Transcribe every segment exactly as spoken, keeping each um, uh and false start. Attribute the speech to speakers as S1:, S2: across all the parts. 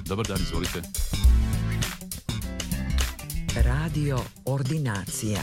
S1: Dobar dan, izvolite.
S2: Radio Ordinacija.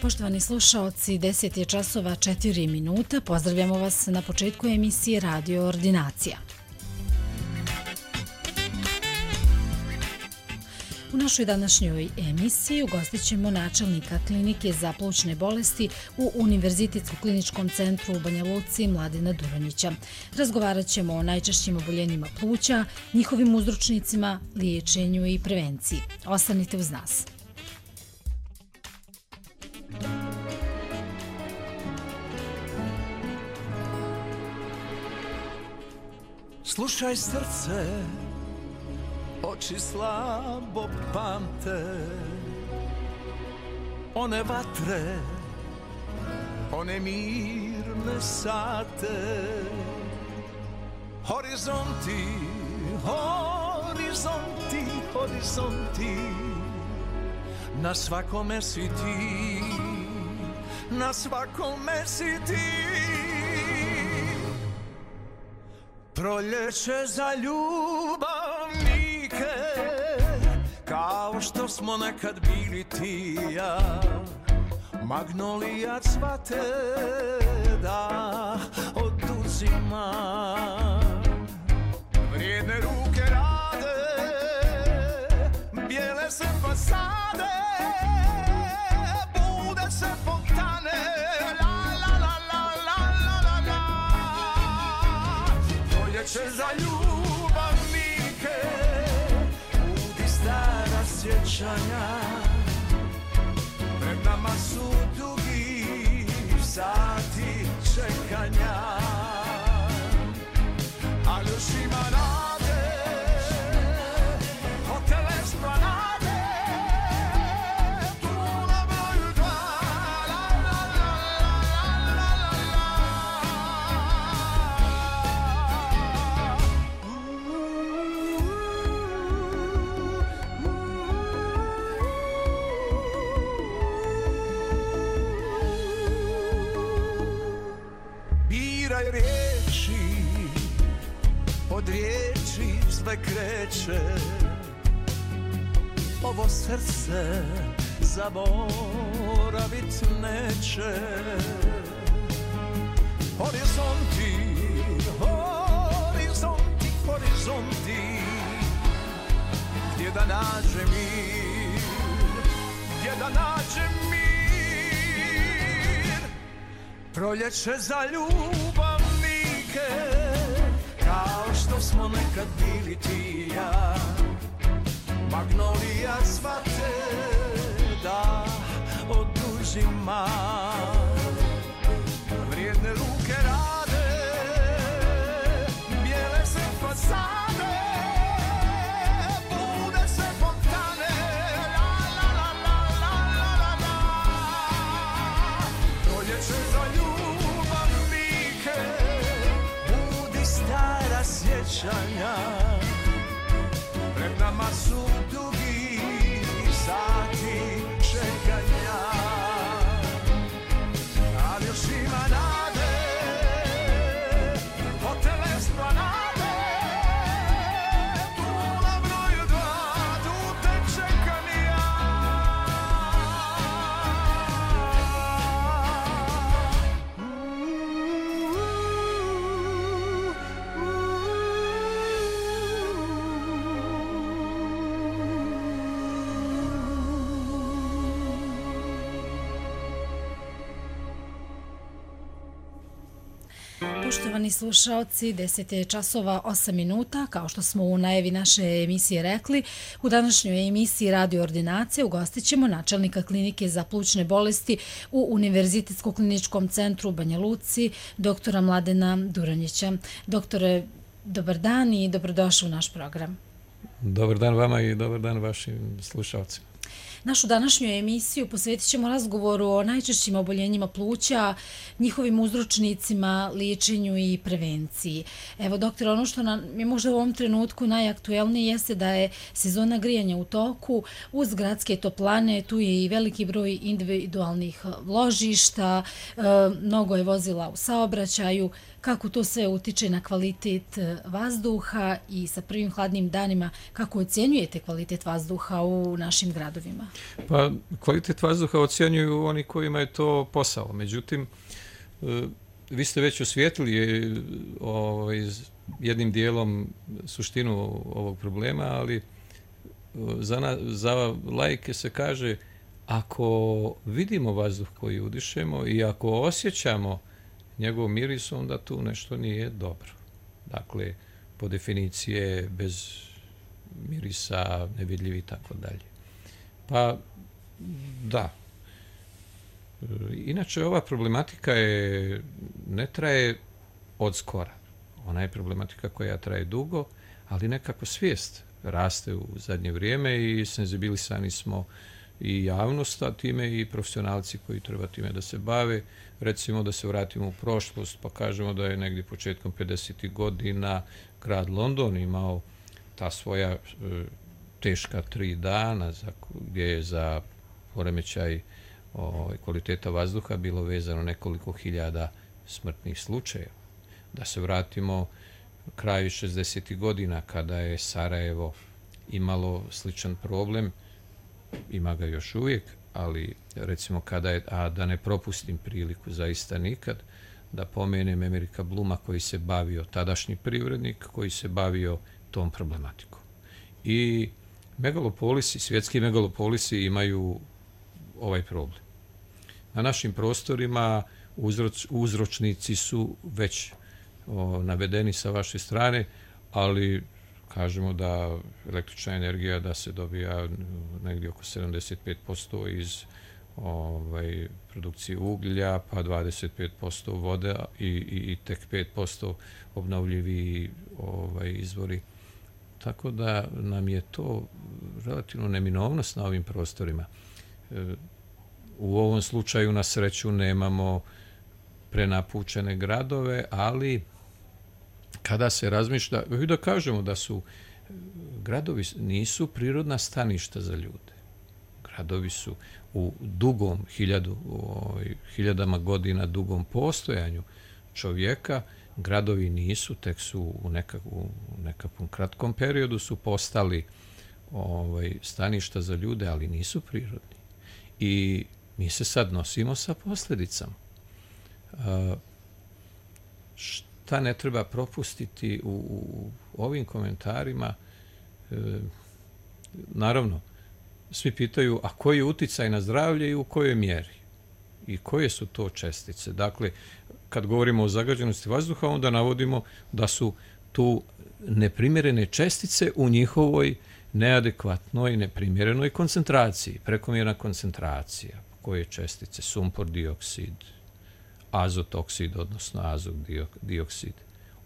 S3: Poštovani slušaoci, deset je časova četiri minuta. Pozdravljamo vas na početku emisije Radio Ordinacija. U našoj današnjoj emisiji ugostit ćemo načelnika klinike za plućne bolesti u Univerzitetskom kliničkom centru u Banja Luci Mladena Duronjića. Razgovarat ćemo o najčešćim oboljenjima pluća, njihovim uzročnicima, liječenju i prevenciji. Ostanite uz nas.
S4: Slušaj srce, oči slabo pamte, one vatre, one mirne sate. Horizonti, horizonti, horizonti, na svakome si ti, na svakome si ti. Proljeće za ljubavnike, kao što smo nekad bili ti i ja. Magnolija cvate da oduzima, vrijedne ruke rade, bijele se fasade, bude se fontane. Proljeće za ljubavnike, budi stara sjećanja. Pred nama su dugi sati čekanja, ali još ima nade, hotel Esplanade, tu na broju dva. La, la, la, la, la, la, biraj riječi, od riječi sve kreće. Ovo srce zaboravit neće. Horizonti, horizonti, horizonti, gdje da nađe mir, gdje da nađe mir. Proljeće za ljubavnike, kao što smo nekad bili ti i ja. Magnolija cvate da oduzima, vrijedne ruke rade, bijele se fasade, bude se fontane. La, la, la, la, la, la, la, la. Proljeće za ljubavnike, budi stara sjećanja. Pred nama su dugi sati čekanja, ali još ima nade, hotel Esplanade, tu na broju dva, tu te čekam ja.
S3: Poštovani slušaoci, deset je časova osam minuta, kao što smo u najavi naše emisije rekli. U današnjoj emisiji Radio Ordinacije ugostit ćemo načelnika klinike za plućne bolesti u Univerzitetskom kliničkom centru u Banja Luci, doktora Mladena Duranjića. Doktore, dobar dan i dobrodošli u naš program.
S1: Dobar dan vama i dobar dan vašim slušalcima.
S3: Našu današnju emisiju posvetit ćemo razgovoru o najčešćim oboljenjima pluća, njihovim uzročnicima, liječenju i prevenciji. Evo, doktor, ono što nam je možda u ovom trenutku najaktuelnije jeste da je sezona grijanja u toku. Uz gradske toplane tu je i veliki broj individualnih ložišta, e, mnogo je vozila u saobraćaju. Kako to sve utiče na kvalitet vazduha i sa prvim hladnim danima, kako ocjenjujete kvalitet vazduha u našim gradovima?
S1: Pa, kvalitet vazduha ocjenjuju oni kojima je to posao. Međutim, vi ste već osvijetlili ovaj, jednim dijelom suštinu ovog problema, ali za, na, za laike se kaže, ako vidimo vazduh koji udišemo i ako osjećamo njegov miris, onda tu nešto nije dobro. Dakle, po definiciji bez mirisa, nevidljiv i tako dalje. Pa, da. Inače, ova problematika je, ne traje od skora. Ona je problematika koja traje dugo, ali nekako svijest raste u zadnje vrijeme i senzibilisani smo i javnost, a time i profesionalci koji treba time da se bave. Recimo da se vratimo u prošlost, pa kažemo da je negdje početkom pedesetih godina grad London imao ta svoja e, teška tri dana za, gdje je za poremećaj o, kvaliteta vazduha bilo vezano nekoliko hiljada smrtnih slučajeva. Da se vratimo kraju šezdesetih godina kada je Sarajevo imalo sličan problem, ima ga još uvijek, ali recimo kada je, a da ne propustim priliku zaista nikad, da pomenem Amerika Bluma koji se bavio, tadašnji privrednik koji se bavio tom problematikom. I megalopolisi, svjetski megalopolisi imaju ovaj problem. Na našim prostorima uzroč, uzročnici su već o, navedeni sa vaše strane, ali kažemo da električna energija da se dobija negdje oko sedamdeset pet posto iz ovaj, produkcije uglja, pa dvadeset pet posto vode i, i, i tek pet posto obnovljivi ovaj, izvori. Tako da nam je to relativno neminovnost na ovim prostorima. E, u ovom slučaju na sreću nemamo prenapučene gradove, ali kada se razmišlja, da kažemo da su gradovi nisu prirodna staništa za ljude. Gradovi su u dugom hiljadu, ovaj, hiljadama godina dugom postojanju čovjeka, gradovi nisu, tek su u, nekak, u nekakvom kratkom periodu su postali ovaj, staništa za ljude, ali nisu prirodni. I mi se sad nosimo sa posljedicama. A, šta ne treba propustiti u, u ovim komentarima? E, naravno, svi pitaju, a koji je uticaj na zdravlje i u kojoj mjeri? I koje su to čestice? Dakle, kad govorimo o zagađenosti vazduha, onda navodimo da su tu neprimjerene čestice u njihovoj neadekvatnoj, neprimjerenoj koncentraciji, prekomjerna koncentracija. Koje čestice? Sumpor dioksid, azot oksid, odnosno azot dioksid.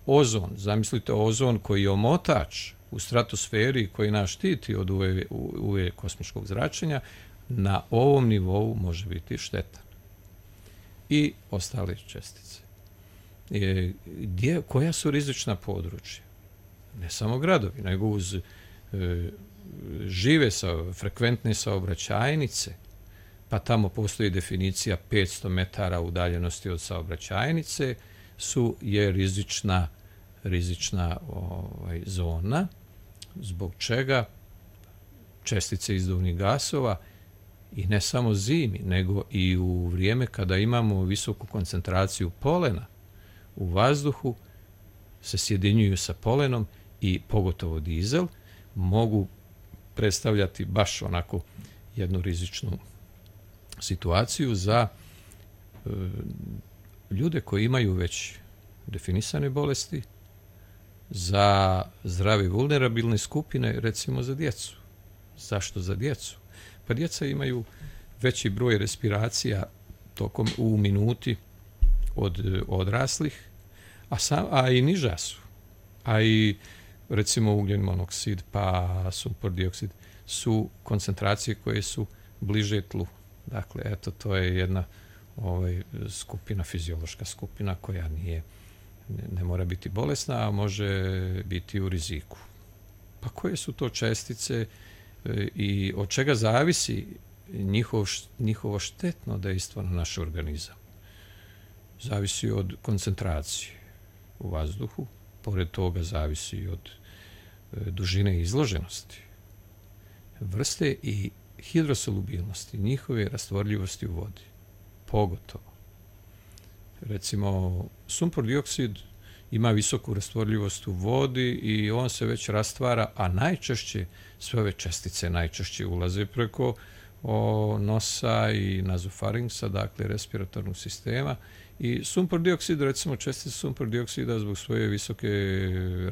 S1: Ozon, zamislite ozon koji je omotač u stratosferi koji nas štiti od U V, U V kosmičkog zračenja, na ovom nivou može biti štetan. I ostale čestice. E, gdje, koja su rizična područja? Ne samo gradovi, nego uz e, žive sa, frekventne saobraćajnice, pa tamo postoji definicija petsto metara udaljenosti od saobraćajnice, su je rizična, rizična ovaj, zona, zbog čega čestice izduvnih gasova i ne samo zimi, nego i u vrijeme kada imamo visoku koncentraciju polena u vazduhu, se sjedinjuju sa polenom i pogotovo dizel, mogu predstavljati baš onako jednu rizičnu situaciju za e, ljude koji imaju već definisane bolesti, za zdrave vulnerabilne skupine, recimo za djecu. Zašto za djecu? Pa djeca imaju veći broj respiracija tokom u minuti od odraslih, a, sam, a i niža su. A i recimo ugljen monoksid pa sumpor dioksid su koncentracije koje su bliže tlu. Dakle, eto, to je jedna ovaj, skupina, fiziološka skupina koja nije, ne, ne mora biti bolesna, a može biti u riziku. Pa koje su to čestice e, i od čega zavisi njihov, njihovo štetno dejstvo na naš organizam? Zavisi od koncentracije u vazduhu, pored toga zavisi i od e, dužine izloženosti, vrste i hidrosolubilnosti, njihove rastvorljivosti u vodi, pogotovo. Recimo, sumpor dioksid ima visoku rastvorljivost u vodi i on se već rastvara, a najčešće, sve ove čestice najčešće ulaze preko o, nosa i nazofarinksa, dakle respiratornog sistema. I sumpor dioksid, recimo čestice sumpor dioksida zbog svoje visoke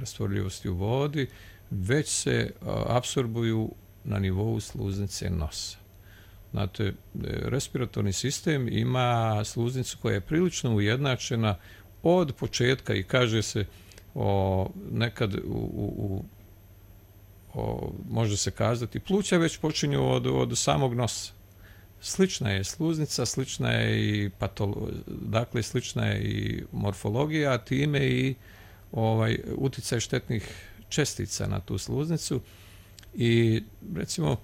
S1: rastvorljivosti u vodi, već se a, apsorbuju na nivou sluznice nosa. Znate, respiratorni sistem ima sluznicu koja je prilično ujednačena od početka i kaže se o, nekad u, u, o, može se kazati pluća već počinju od, od samog nosa. Slična je sluznica, slična je i patolo, dakle slična je i morfologija, a time i ovaj uticaj štetnih čestica na tu sluznicu. I recimo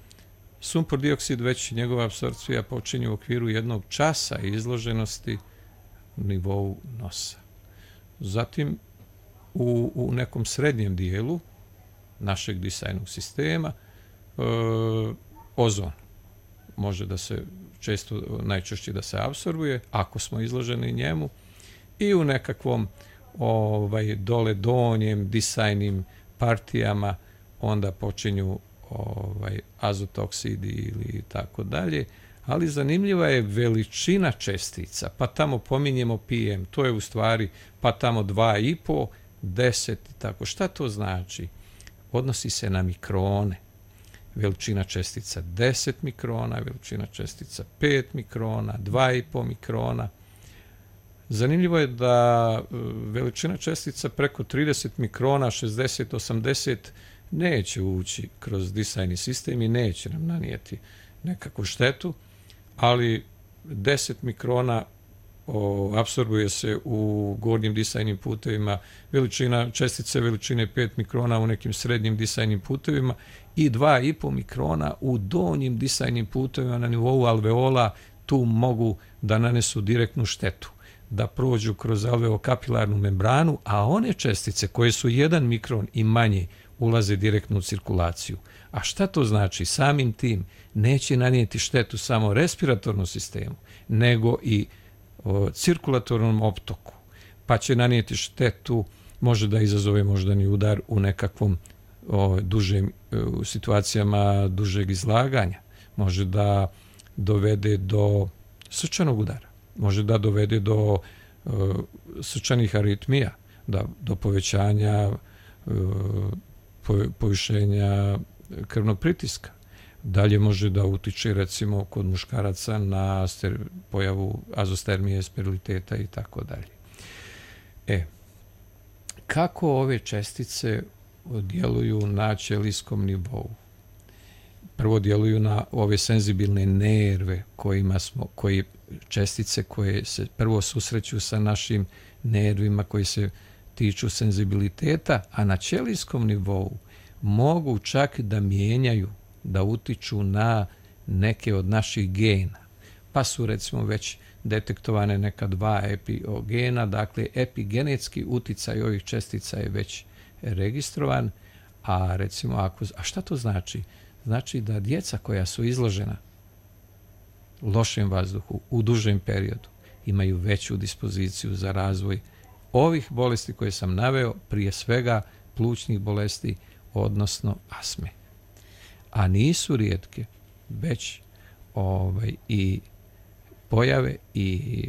S1: sumpor dioksid već njegova apsorpcija počinje u okviru jednog časa izloženosti nivou nosa. Zatim u, u nekom srednjem dijelu našeg disajnog sistema e, ozon može da se često, najčešće da se apsorbuje ako smo izloženi njemu, i u nekakvom ovaj, dole donjem disajnim partijama onda počinju ovaj, azotoksidi ili tako dalje, ali zanimljiva je veličina čestica, pa tamo pominjemo P M, to je u stvari, pa tamo dva i po, deset i tako. Šta to znači? Odnosi se na mikrone. Veličina čestica deset mikrona, veličina čestica pet mikrona, dva i po mikrona. Zanimljivo je da veličina čestica preko trideset mikrona, šezdeset osamdeset, neće ući kroz disajni sistem i neće nam nanijeti nekakvu štetu, ali deset mikrona o, apsorbuje se u gornjim disajnim putevima, veličina čestice veličine pet mikrona u nekim srednjim disajnim putevima i dva i po mikrona u donjim disajnim putevima na nivou alveola. Tu mogu da nanesu direktnu štetu, da prođu kroz alveokapilarnu membranu, a one čestice koje su jedan mikron i manje ulaze direktno u cirkulaciju. A šta to znači? Samim tim neće nanijeti štetu samo respiratornom sistemu, nego i o, cirkulatornom optoku, pa će nanijeti štetu, može da izazove moždani udar u nekakvom o, dužem, u situacijama dužeg izlaganja, može da dovede do srčanog udara, može da dovede do o, srčanih aritmija, da, do povećanja o, povišenja krvnog pritiska. Dalje može da utiče recimo kod muškaraca na ster, pojavu azostermije, steriliteta i tako dalje. E, kako ove čestice djeluju na ćelijskom nivou? Prvo djeluju na ove senzibilne nerve kojima smo, koji čestice koje se prvo susreću sa našim nervima koji se tiču senzibiliteta, a na ćelijskom nivou mogu čak da mijenjaju, da utiču na neke od naših gena. Pa su recimo već detektovane neka dva epigena, dakle epigenetski uticaj ovih čestica je već registrovan, a recimo ako, a šta to znači? Znači da djeca koja su izložena lošem vazduhu u dužem periodu imaju veću dispoziciju za razvoj ovih bolesti koje sam naveo, prije svega plućnih bolesti, odnosno astme. A nisu rijetke, već ovaj, i pojave i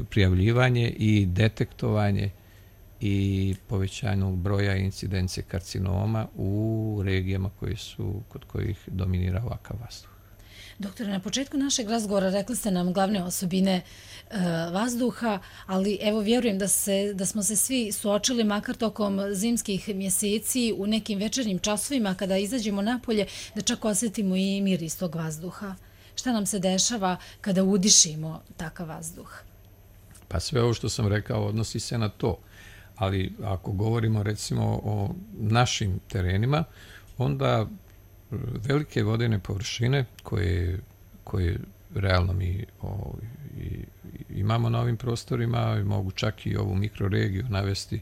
S1: prijavljivanje i detektovanje i povećanju broja incidencije karcinoma u regijama koje su, kod kojih dominira ovakav vazduh.
S3: Doktore, na početku našeg razgovora rekli ste nam glavne osobine e, vazduha, ali evo vjerujem da, se, da smo se svi suočili makar tokom zimskih mjeseci u nekim večernjim časovima kada izađemo napolje da čak osjetimo i miris tog vazduha. Šta nam se dešava kada udišimo takav vazduh?
S1: Pa sve ovo što sam rekao odnosi se na to. Ali ako govorimo recimo o našim terenima, onda velike vodene površine koje, koje realno mi o, i, imamo na ovim prostorima, mogu čak i ovu mikroregiju navesti,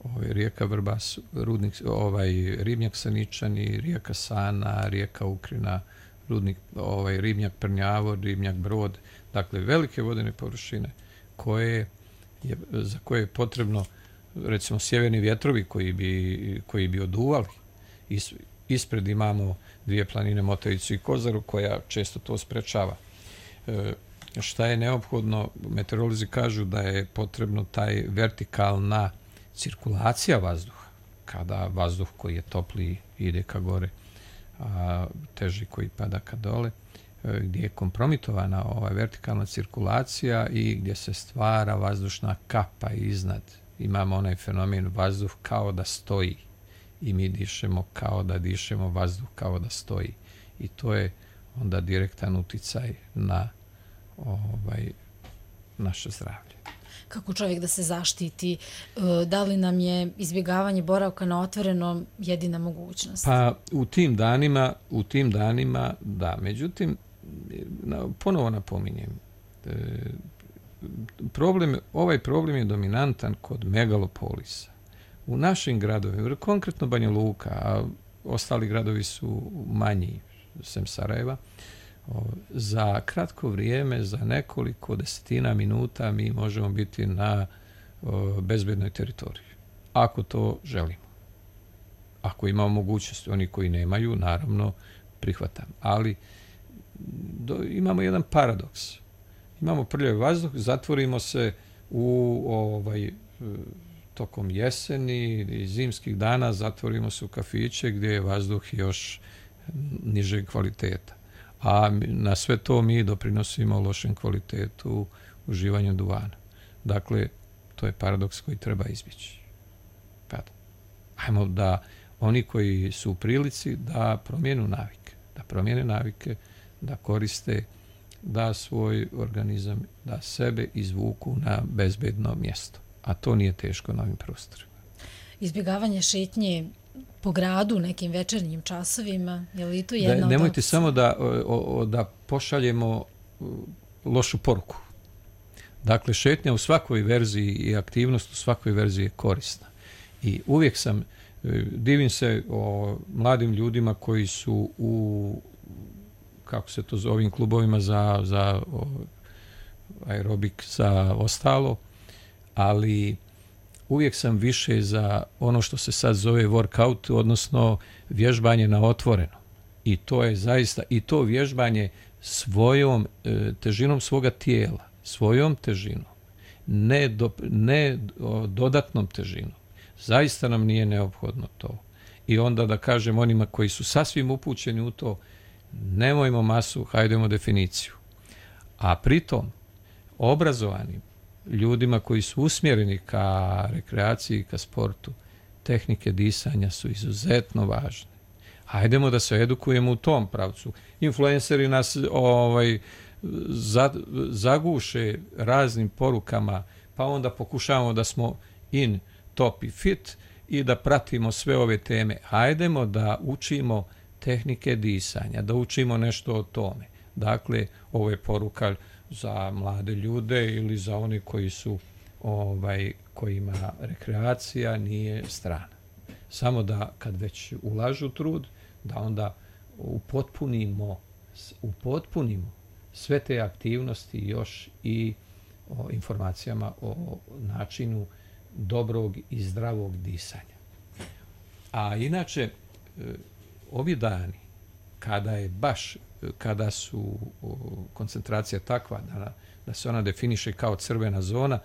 S1: ovaj, rijeka Vrbas, rudnik, ovaj, ribnjak Saničani, rijeka Sana, rijeka Ukrina, rudnik, ovaj, ribnjak Prnjavo, ribnjak Brod, dakle velike vodene površine koje je, za koje je potrebno recimo sjeverni vjetrovi koji bi, koji bi oduvali. Is, ispred imamo dvije planine Motavicu i Kozaru koja često to sprečava. E, šta je neophodno? Meteorolozi kažu da je potrebno taj vertikalna cirkulacija vazduha, kada vazduh koji je topliji ide ka gore, a teži koji pada ka dole, e, gdje je kompromitovana ova vertikalna cirkulacija i gdje se stvara vazdušna kapa iznad. Imamo onaj fenomen vazduh kao da stoji i mi dišemo kao da dišemo, vazduh kao da stoji. I to je onda direktan uticaj na ovaj, naše zdravlje.
S3: Kako čovjek da se zaštiti? Da li nam je izbjegavanje boravka na otvorenom jedina mogućnost?
S1: Pa u tim danima, u tim danima da. Međutim, ponovo napominjem, problem, ovaj problem je dominantan kod megalopolisa. U našim gradovima, konkretno Banja Luka, a ostali gradovi su manji, sem Sarajeva, za kratko vrijeme, za nekoliko desetina minuta mi možemo biti na bezbednoj teritoriji. Ako to želimo. Ako imamo mogućnost, oni koji nemaju, naravno, prihvatam. Ali do, imamo jedan paradoks. Imamo prljavi vazduh, zatvorimo se u ovaj, tokom jeseni i zimskih dana, zatvorimo se u kafiće gdje je vazduh još nižeg kvaliteta. A na sve to mi doprinosimo lošem kvalitetu uživanja duvana. Dakle, to je paradoks koji treba izbjeći. Ajmo da oni koji su u prilici da promijenu navike, da promijene navike, da koriste, da svoj organizam, da sebe izvuku na bezbedno mjesto. A to nije teško na ovim prostorima.
S3: Izbjegavanje šetnje po gradu nekim večernjim časovima, je li to jedna
S1: da,
S3: od
S1: nemojte
S3: opcija?
S1: samo da, o, o, da pošaljemo lošu poruku. Dakle, šetnja u svakoj verziji i aktivnost u svakoj verziji je korisna. I uvijek sam, divim se o mladim ljudima koji su u, kako se to zove, ovim klubovima za, za o, aerobik, za ostalo, ali uvijek sam više za ono što se sad zove workout, odnosno vježbanje na otvoreno. I to je zaista, i to vježbanje svojom e, težinom svoga tijela, svojom težinom, ne, do, ne o, dodatnom težinom. Zaista nam nije neophodno to. I onda da kažem onima koji su sasvim upućeni u to, nemojmo masu, hajdemo definiciju. A pritom, obrazovanim ljudima koji su usmjereni ka rekreaciji, ka sportu, tehnike disanja su izuzetno važne. Hajdemo da se edukujemo u tom pravcu. Influenceri nas ovaj, za, zaguše raznim porukama, pa onda pokušavamo da smo in, top i fit i da pratimo sve ove teme. Hajdemo da učimo tehnike disanja, da učimo nešto o tome. Dakle, ovo je poruka za mlade ljude ili za one koji su ovaj, kojima rekreacija nije strana. Samo da kad već ulažu trud, da onda upotpunimo, upotpunimo sve te aktivnosti još i o informacijama o načinu dobrog i zdravog disanja. A inače, ovi dani, kada je baš kada su o, koncentracija takva da, da se ona definiše kao crvena zona,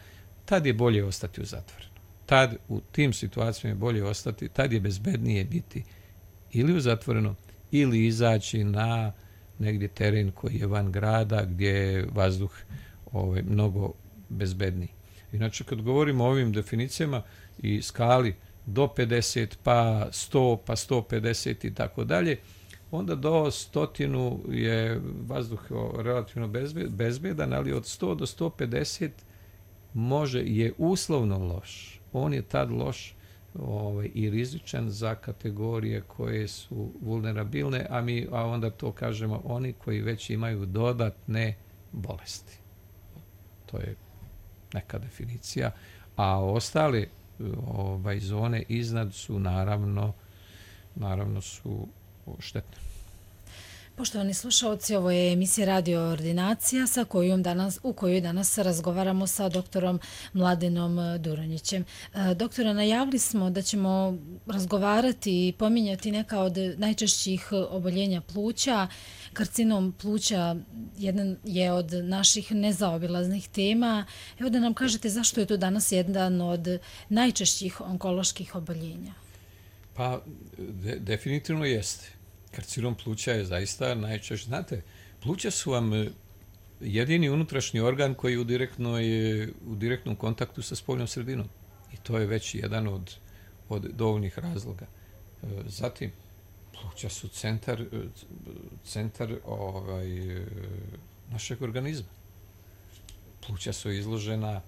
S1: tad je bolje ostati u zatvorenu. Tad u tim situacijama je bolje ostati, tad je bezbednije biti ili u zatvorenom ili izaći na negdje teren koji je van grada gdje je vazduh ovaj, mnogo bezbedniji. Inače, kad govorimo o ovim definicijama i skali do pedeset, pa sto, pa sto pedeset i tako dalje, onda do stotinu je vazduh relativno bezbedan, ali od sto do sto pedeset može, je uslovno loš. On je tad loš ovaj, i rizičan za kategorije koje su vulnerabilne, a mi a onda to kažemo oni koji već imaju dodatne bolesti. To je neka definicija. A ostale ovaj, zone iznad su naravno, naravno su štetne.
S3: Poštovani slušalci, ovo je emisija Radio Ordinacija sa kojom danas, u kojoj danas razgovaramo sa doktorom Mladenom Duronjićem. Doktora, najavili smo da ćemo razgovarati i pominjati neka od najčešćih oboljenja pluća. Karcinom pluća jedan je od naših nezaobilaznih tema. Evo da nam kažete zašto je to danas jedan od najčešćih onkoloških oboljenja.
S1: Pa, de, definitivno jeste. Karcinom pluća je zaista najčešće. Znate, pluća su vam jedini unutrašnji organ koji je u, direktnoj, u direktnom kontaktu sa spoljnom sredinom. I to je već jedan od, od dovoljnih razloga. Zatim, pluća su centar, centar ovaj, našeg organizma. Pluća su izložena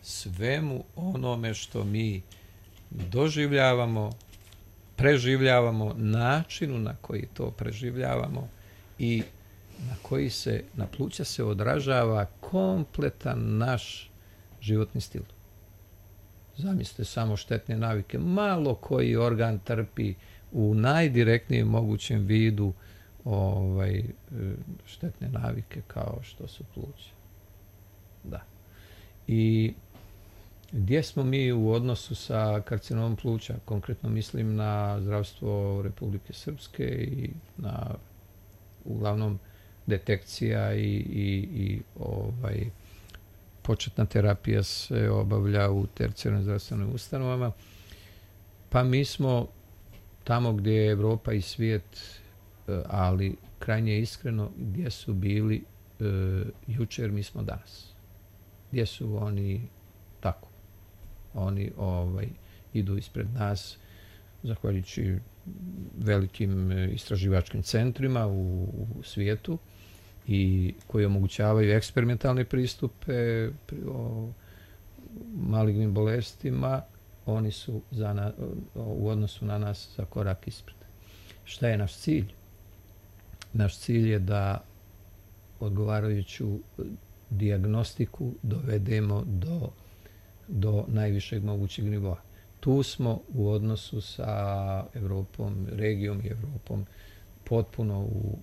S1: svemu onome što mi doživljavamo, preživljavamo, načinu na koji to preživljavamo i na koji se, na pluća se odražava kompletan naš životni stil. Zamislite samo štetne navike. Malo koji organ trpi u najdirektnijem mogućem vidu ovaj, štetne navike kao što su pluća. Da. I gdje smo mi u odnosu sa karcinomom pluća? Konkretno mislim na zdravstvo Republike Srpske i na uglavnom detekcija i, i, i ovaj, početna terapija se obavlja u tercijarnim zdravstvenim ustanovama. Pa mi smo tamo gdje je Evropa i svijet, ali krajnje iskreno, gdje su bili e, jučer, mi smo danas. Gdje su oni tako? Oni ovaj, idu ispred nas, zahvaljujući velikim istraživačkim centrima u, u svijetu i koji omogućavaju eksperimentalne pristupe o malignim bolestima, oni su za na, u odnosu na nas za korak ispred. Šta je naš cilj? Naš cilj je da odgovarajuću dijagnostiku dovedemo do, do najvišeg mogućeg nivoa. Tu smo u odnosu sa Evropom, regijom i Evropom potpuno u,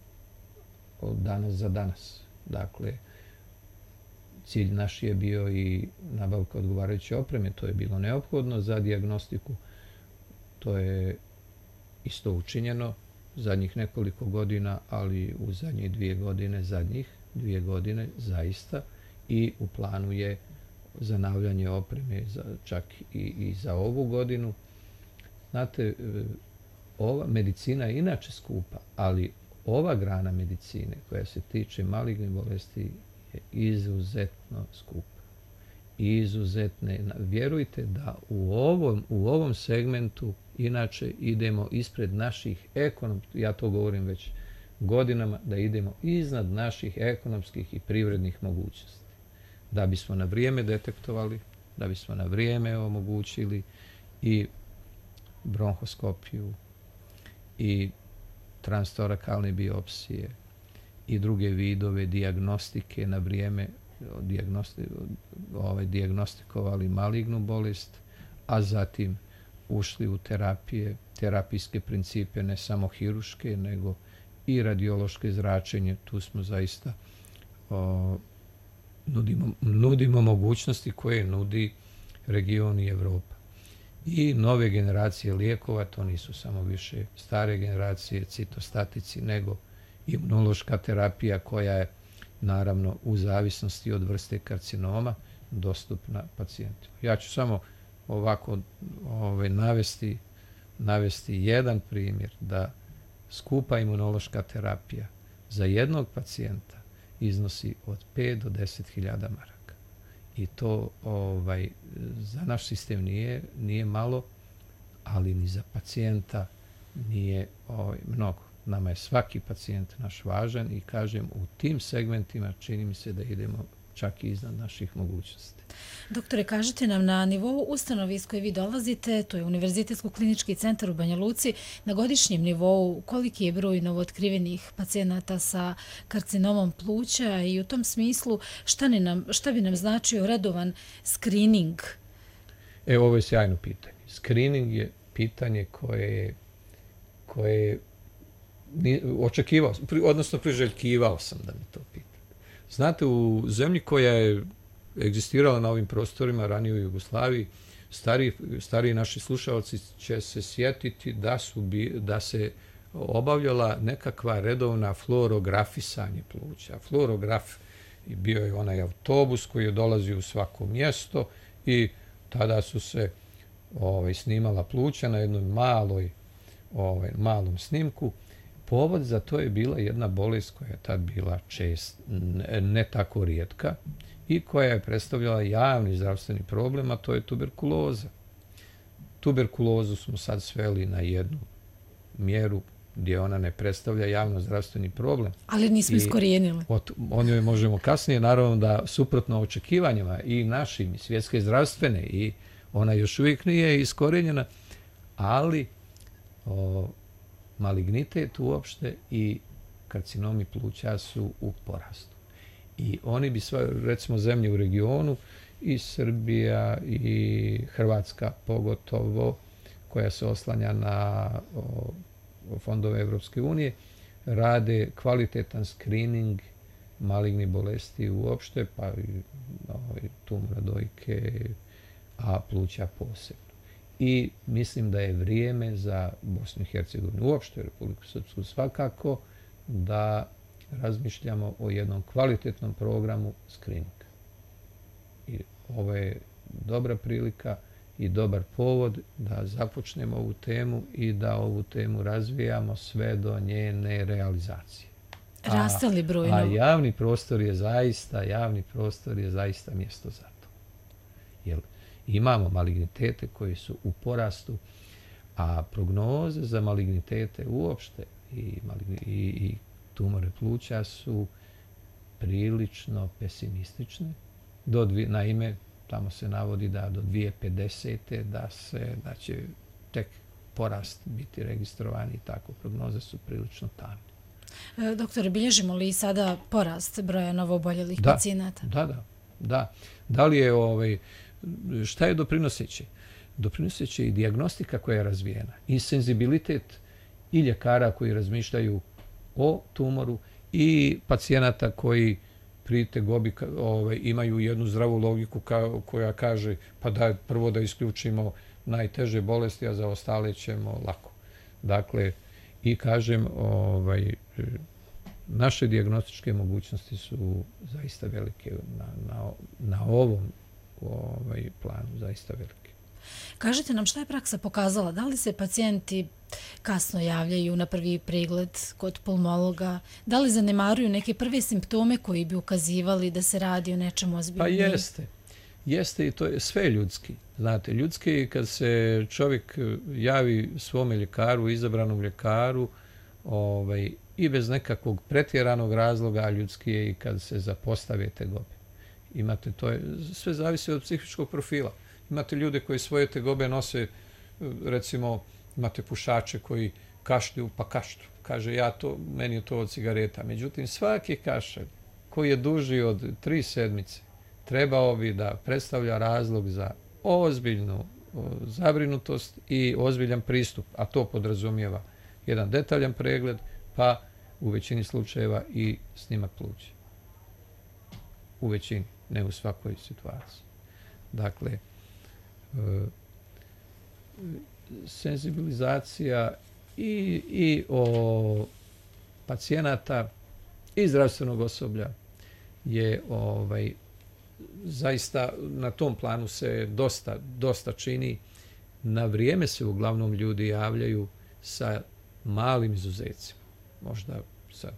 S1: od danas za danas. Dakle, cilj naš je bio i nabavka odgovarajuće opreme, to je bilo neophodno za dijagnostiku. To je isto učinjeno zadnjih nekoliko godina, ali u zadnje dvije godine, zadnjih dvije godine zaista, i u planu je zanavljanje opreme za, čak i, i za ovu godinu. Znate, ova medicina je inače skupa, ali ova grana medicine koja se tiče malignih bolesti je izuzetno skupa. Izuzetne. Vjerujte da u ovom, u ovom segmentu inače idemo ispred naših ekonomskih, ja to govorim već godinama, da idemo iznad naših ekonomskih i privrednih mogućnosti. Da bismo na vrijeme detektovali, da bismo na vrijeme omogućili i bronhoskopiju i transtorakalne biopsije i druge vidove dijagnostike na vrijeme dijagnosti, ovaj, dijagnostikovali malignu bolest, a zatim ušli u terapije, terapijske principe, ne samo hiruške, nego i radiološke zračenje. Tu smo zaista o, nudimo, nudimo mogućnosti koje nudi region i Evropa. I nove generacije lijekova, to nisu samo više stare generacije, citostatici, nego imunološka terapija koja je naravno u zavisnosti od vrste karcinoma dostupna pacijentima. Ja ću samo ovako ovaj, navesti, navesti jedan primjer da skupa imunološka terapija za jednog pacijenta iznosi od pet do deset hiljada maraka. I to ovaj, za naš sistem nije, nije malo, ali ni za pacijenta nije ovaj, mnogo. Nama je svaki pacijent naš važan i kažem u tim segmentima čini mi se da idemo čak i iznad naših mogućnosti.
S3: Doktore, kažete nam na nivou ustanove iz koje vi dolazite, to je Univerzitetsko-klinički centar u Banja Luci, na godišnjem nivou koliki je broj novootkrivenih pacijenata sa karcinomom pluća i u tom smislu šta, ne nam, šta bi nam značio redovan screening?
S1: E, ovo je sjajno pitanje. Screening je pitanje koje je, koje je očekivao, odnosno priželjkivao sam da mi to pita. Znate, u zemlji koja je egzistirala na ovim prostorima ranije u Jugoslaviji, stari, stariji naši slušalci će se sjetiti da, su bi, da se obavljala nekakva redovna fluorografisanje pluća. Fluorograf bio je onaj autobus koji je dolazio u svako mjesto i tada su se ovaj, snimala pluća na jednoj maloj, ovaj, malom snimku. Povod za to je bila jedna bolest koja je tad bila čest, ne, ne tako rijetka i koja je predstavljala javni zdravstveni problem, a to je tuberkuloza. Tuberkulozu smo sad sveli na jednu mjeru gdje ona ne predstavlja javno zdravstveni problem.
S3: Ali nismo iskorijenili.
S1: O njoj možemo kasnije, naravno da suprotno očekivanjima i našim, i svjetske zdravstvene, i ona još uvijek nije iskorijenjena, ali o, malignitet uopšte i karcinomi pluća su u porastu. I oni bi sva, recimo zemlje u regionu, i Srbija i Hrvatska pogotovo, koja se oslanja na o, fondove Evropske unije, rade kvalitetan screening malignih bolesti uopšte, pa i ovaj, tumora dojke, a pluća posebno. I mislim da je vrijeme za Bosnu i Hercegovinu, uopšte Republiku Srpsku svakako, da razmišljamo o jednom kvalitetnom programu screeninga. I ovo je dobra prilika i dobar povod da započnemo ovu temu i da ovu temu razvijamo sve do njene realizacije.
S3: Raste li broj?
S1: A, a javni prostor je zaista, javni prostor je zaista mjesto za to. Jer imamo malignitete koji su u porastu, a prognoze za malignitete uopšte i, i, i tumore pluća su prilično pesimistične. Do dvi, naime, tamo se navodi da do dvije tisuće pedesete da se da će tek porast biti registrovani i tako. Prognoze su prilično tamne.
S3: Doktore, bilježimo li sada porast broja novooboljelih da, pacijenata?
S1: Da, da, da. Da li je, ovaj, šta je doprinoseće? Doprinoseće i dijagnostika koja je razvijena i senzibilitet i ljekara koji razmišljaju o tumoru i pacijenata koji pri tegobi ovaj, imaju jednu zdravu logiku ka, koja kaže pa da prvo da isključimo najteže bolesti, a za ostale ćemo lako. Dakle, i kažem, ovaj, naše dijagnostičke mogućnosti su zaista velike na, na, na ovom ovaj, planu, zaista velike.
S3: Kažite nam šta je praksa pokazala? Da li se pacijenti kasno javljaju na prvi pregled kod pulmologa? Da li zanemaruju neke prve simptome koji bi ukazivali da se radi o nečem ozbiljnom?
S1: Pa jeste. Jeste i to je sve ljudski. Znate, ljudski je kad se čovjek javi svome ljekaru, izabranom ljekaru, ovaj, i bez nekakvog pretjeranog razloga, a ljudski je i kad se zapostave tegobe. Imate, to je, sve zavisi od psihičkog profila. Imate ljude koji svoje tegobe nose, recimo, imate pušače koji kašlju pa kašlju. Kaže, ja to, meni je to od cigareta. Međutim, svaki kašalj koji je duži od tri sedmice trebao bi da predstavlja razlog za ozbiljnu zabrinutost i ozbiljan pristup, a to podrazumijeva jedan detaljan pregled, pa u većini slučajeva i snimak pluća. U većini, ne u svakoj situaciji. Dakle, senzibilizacija i, i o pacijenata i zdravstvenog osoblja je ovaj, zaista na tom planu se dosta, dosta čini. Na vrijeme se uglavnom ljudi javljaju sa malim izuzecima. Možda sad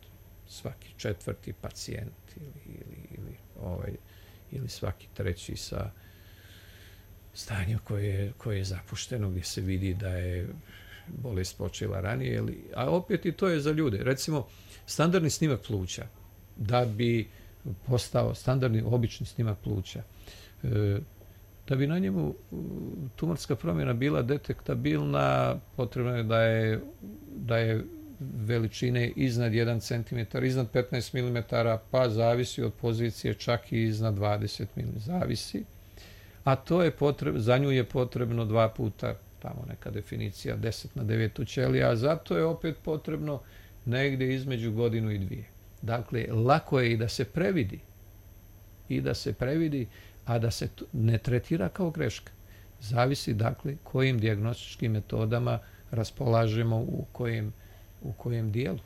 S1: svaki četvrti pacijent ili, ili, ili, ovaj, ili svaki treći sa stanjem koje, koje je zapušteno, gdje se vidi da je bolest počela ranije. Ili, a opet i to je za ljude. Recimo, standardni snimak pluća, da bi postao standardni obični snimak pluća, e, da bi na njemu tumorska promjena bila detektabilna, potrebno je da je, da je veličine iznad jedan centimetar, iznad petnaest milimetara, pa zavisi od pozicije čak i iznad dvadeset milimetara, zavisi. A to je potrebno, za nju je potrebno dva puta, tamo neka definicija, deset na devetu ćelija, a zato je opet potrebno negdje između godinu i dvije. Dakle, lako je i da se previdi, i da se previdi, a da se ne tretira kao greška. Zavisi, dakle, kojim dijagnostičkim metodama raspolažemo u kojem, u kojem dijelu,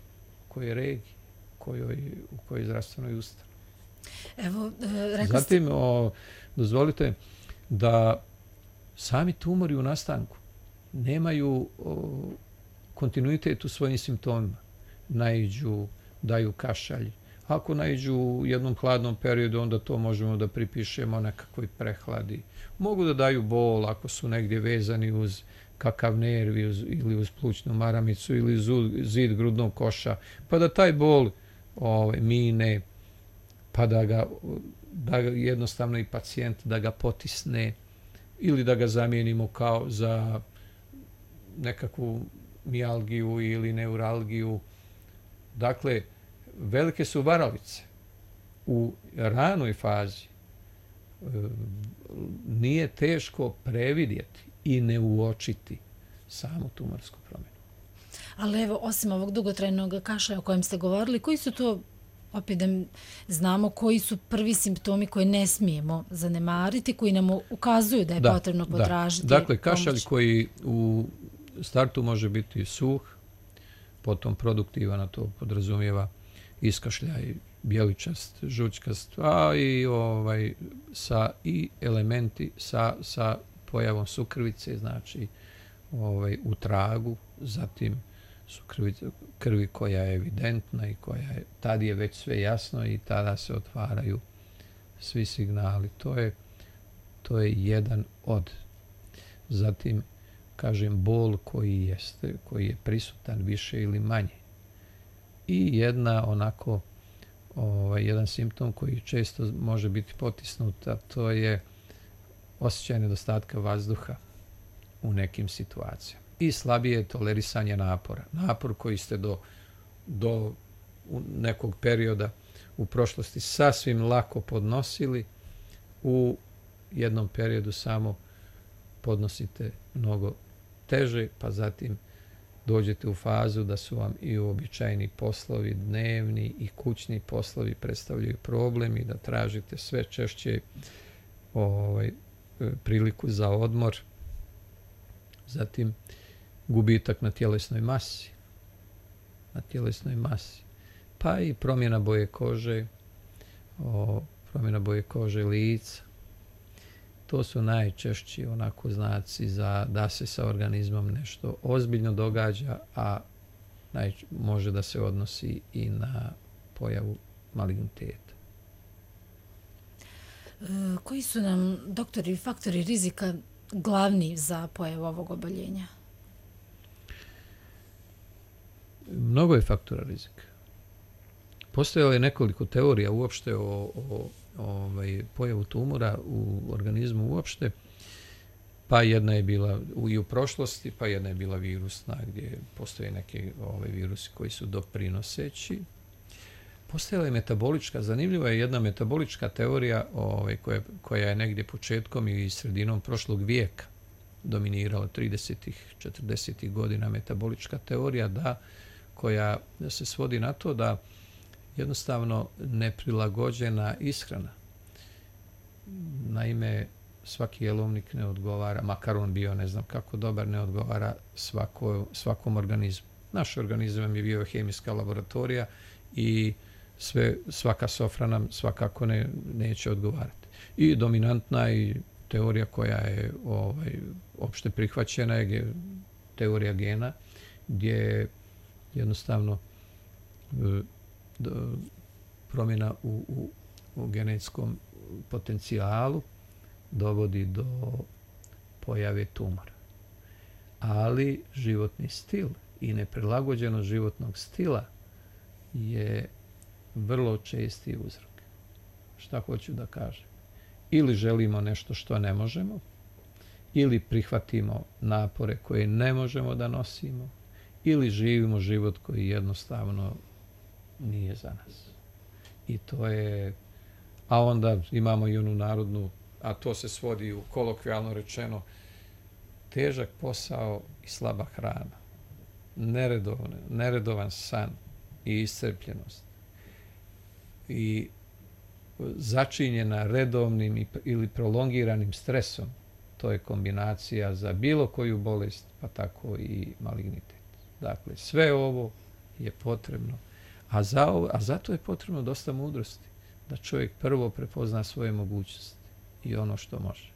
S1: u kojoj regiji, kojoj, u kojoj zdravstvenoj ustanovi.
S3: Evo, e, rekli ste...
S1: Zatim, o, dozvolite da sami tumori u nastanku nemaju o, kontinuitet u svojim simptomima. Naiđu, daju kašalj. Ako naiđu u jednom hladnom periodu, onda to možemo da pripišemo nekakvoj prehladi. Mogu da daju bol ako su negdje vezani uz kakav nervi uz, ili uz plućnu maramicu ili uz zid grudnog koša, pa da taj bol ovaj, mine, pa da ga, da ga jednostavno i pacijent da ga potisne ili da ga zamijenimo kao za nekakvu mijalgiju ili neuralgiju. Dakle, velike su varalice. U ranoj fazi e, nije teško previdjeti i ne uočiti samu tumorsku promjenu.
S3: Ali evo, osim ovog dugotrajnog kašlja o kojem ste govorili, koji su to, opet da znamo, koji su prvi simptomi koje ne smijemo zanemariti, koji nam ukazuju da je da, potrebno potražiti
S1: da. Dakle, kašalj
S3: pomoć?
S1: koji u startu može biti suh, potom produktivan, a to podrazumijeva iskašljaj bijeličast, žučkast, a i ovaj sa i elementi sa sa pojavom sukrvice, znači ovaj u tragu, zatim sukrvice krvi koja je evidentna i koja je, tad je već sve jasno i tada se otvaraju svi signali. To je to je jedan od. Zatim, kažem, bol koji jeste, koji je prisutan više ili manje. I jedna onako, ovaj, jedan simptom koji često može biti potisnut, a to je osjećaj nedostatka vazduha u nekim situacijama. I slabije tolerisanje napora. Napor koji ste do, do nekog perioda u prošlosti sasvim lako podnosili, u jednom periodu samo podnosite mnogo teže, pa zatim dođete u fazu da su vam i uobičajeni poslovi, dnevni i kućni poslovi predstavljaju problem i da tražite sve češće ovaj, priliku za odmor. Zatim gubitak na tjelesnoj masi, na tjelesnoj masi, pa i promjena boje kože, o, promjena boje kože lica. To su najčešći onako znaci za da se sa organizmom nešto ozbiljno događa, a naj, može da se odnosi i na pojavu maligniteta.
S3: E, koji su nam, doktori, faktori rizika glavni za pojavu ovog oboljenja?
S1: Mnogo je faktora rizika. Postojalo je nekoliko teorija uopšte o, o ovaj, pojavu tumora u organizmu uopšte, pa jedna je bila u, i u prošlosti, pa jedna je bila virusna, gdje postoje neke ovaj, virusi koji su doprinoseći. Postojala je metabolička, zanimljiva je jedna metabolička teorija ovaj, koja, koja je negdje početkom i sredinom prošlog vijeka dominirala tridesetih, četrdesetih godina, metabolička teorija da, koja se svodi na to da jednostavno neprilagođena ishrana. Naime, svaki jelovnik ne odgovara, makar on bio ne znam kako dobar, ne odgovara svako, svakom organizmu. Naš organizam je biohemijska laboratorija i sve, svaka sofra nam svakako ne, neće odgovarati. I dominantna i teorija koja je ovaj, opšte prihvaćena je teorija gena, gdje jednostavno promjena u, u, u genetskom potencijalu dovodi do pojave tumora. Ali životni stil i neprilagođenost životnog stila je vrlo česti uzrok. Šta hoću da kažem? Ili želimo nešto što ne možemo, ili prihvatimo napore koje ne možemo da nosimo, ili živimo život koji jednostavno nije za nas. I to je, a onda imamo i onu narodnu, a to se svodi u kolokvijalno rečeno, težak posao i slaba hrana, neredovan, neredovan san i iscrpljenost i začinjena redovnim i, ili prolongiranim stresom, to je kombinacija za bilo koju bolest, pa tako i malignitet. Dakle, sve ovo je potrebno, a, za ovo, a zato je potrebno dosta mudrosti, da čovjek prvo prepozna svoje mogućnosti i ono što može.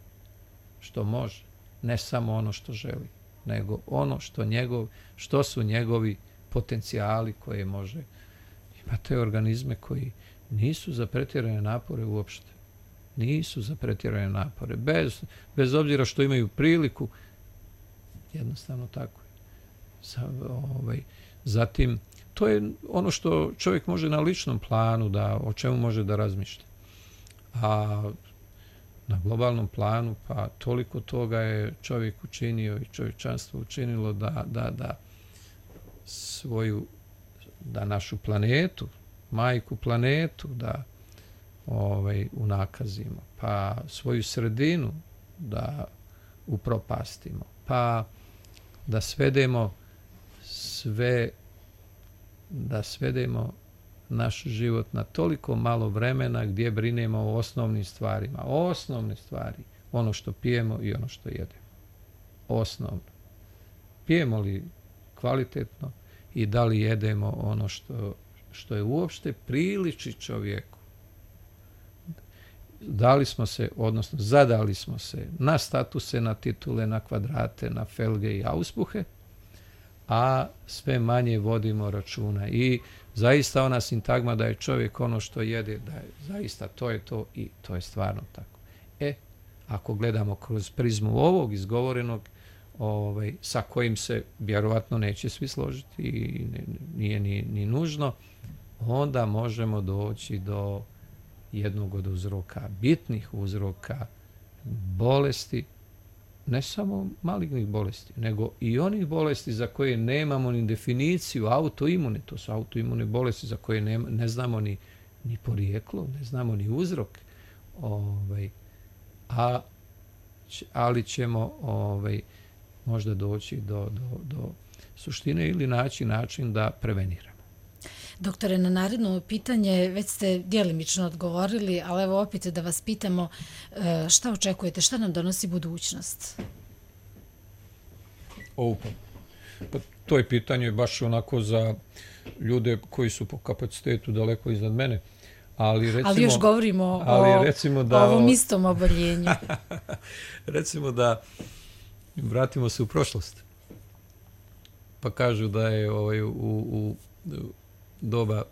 S1: Što može, ne samo ono što želi, nego ono što, njegov, što su njegovi potencijali koje može. Imate organizme koji nisu za pretjerane napore uopšte. Nisu za pretjerane napore. Bez, bez obzira što imaju priliku, jednostavno tako je. Za, ovaj, zatim, to je ono što čovjek može na ličnom planu, da, o čemu može da razmišlja. A na globalnom planu, pa toliko toga je čovjek učinio i čovječanstvo učinilo da, da, da svoju, da našu planetu, majku planetu, da ovaj, unakazimo, pa svoju sredinu da upropastimo, pa da svedemo sve, da svedemo naš život na toliko malo vremena gdje brinemo o osnovnim stvarima. Osnovne stvari, ono što pijemo i ono što jedemo. Osnovno. Pijemo li kvalitetno i da li jedemo ono što, što je uopšte priliči čovjeku. Dali smo se, odnosno zadali smo se na statuse, na titule, na kvadrate, na felge i auspuhe, a sve manje vodimo računa. I zaista ona sintagma da je čovjek ono što jede, da je zaista to je to i to je stvarno tako. E, ako gledamo kroz prizmu ovog izgovorenog, ovaj, sa kojim se vjerovatno neće svi složiti i nije ni, ni nužno, onda možemo doći do jednog od uzroka, bitnih uzroka bolesti, ne samo malignih bolesti, nego i onih bolesti za koje nemamo ni definiciju, autoimune, to su autoimune bolesti za koje ne, ne znamo ni, ni porijeklo, ne znamo ni uzrok, ovaj, a, ali ćemo ovaj, možda doći do, do, do suštine ili naći način da preveniramo.
S3: Doktore, na naredno pitanje već ste djelimično odgovorili, ali evo opet da vas pitamo šta očekujete, šta nam donosi budućnost?
S1: O, pa, pa to je pitanje baš onako za ljude koji su po kapacitetu daleko iznad mene. Ali, recimo,
S3: ali još govorimo
S1: ali
S3: o,
S1: recimo da,
S3: o ovom istom oboljenju.
S1: Recimo da vratimo se u prošlost. Pa kažu da je ovaj, u, u, u doba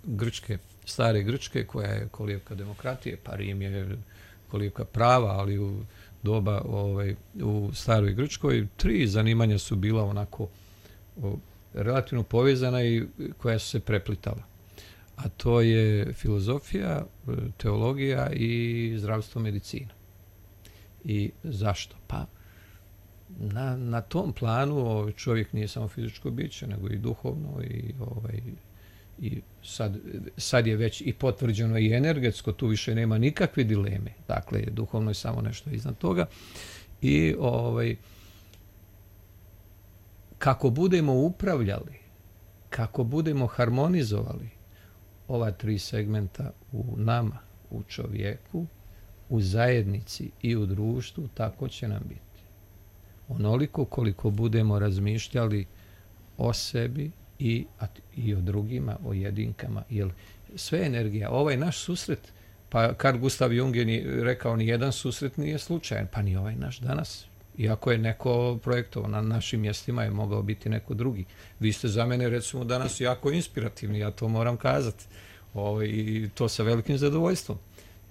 S1: Grčke, stare Grčke, koja je kolijevka demokratije, pa Rim je kolijevka prava, ali u doba ovaj, u staroj Grčkoj tri zanimanja su bila onako o, relativno povezana i koja su se preplitala. A to je filozofija, teologija i zdravstvo, medicina. I zašto? Pa na, na tom planu čovjek nije samo fizičko biće, nego i duhovno i, ovaj, i sad, sad je već i potvrđeno i energetsko, tu više nema nikakve dileme. Dakle, duhovno je samo nešto iznad toga. I ovaj, kako budemo upravljali, kako budemo harmonizovali ova tri segmenta u nama, u čovjeku, u zajednici i u društvu, tako će nam biti. Onoliko koliko budemo razmišljali o sebi i, i o drugima, o jedinkama. Jer sve energija, ovaj naš susret, pa Carl Gustav Jung je rekao ni jedan susret nije slučajan, pa ni ovaj naš danas. Iako je neko projektovao na našim mjestima, je mogao biti neko drugi. Vi ste za mene, recimo, danas jako inspirativni, ja to moram kazati. O, i to sa velikim zadovoljstvom.